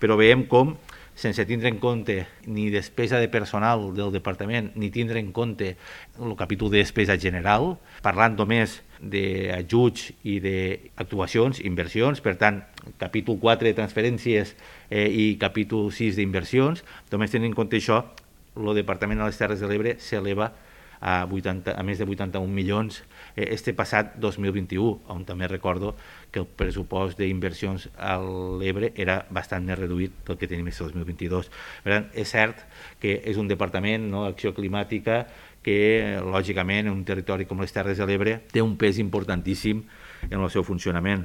Però veiem com, sense tindre en compte ni despesa de personal del departament, ni tindre en compte el capítol de despesa general, parlant només d'ajuts i d'actuacions, inversions, per tant, capítol 4 de transferències i capítol 6 d'inversions, només tenint en compte això, el Departament de les Terres de l'Ebre s'eleva a més de 81 milions este passat 2021, on també recordo que el pressupost d'inversions a l'Ebre era bastant més reduït del que tenim aquest 2022. Per tant, és cert que és un departament d'acció climàtica que, lògicament, en un territori com les Terres de l'Ebre té un pes importantíssim en el seu funcionament.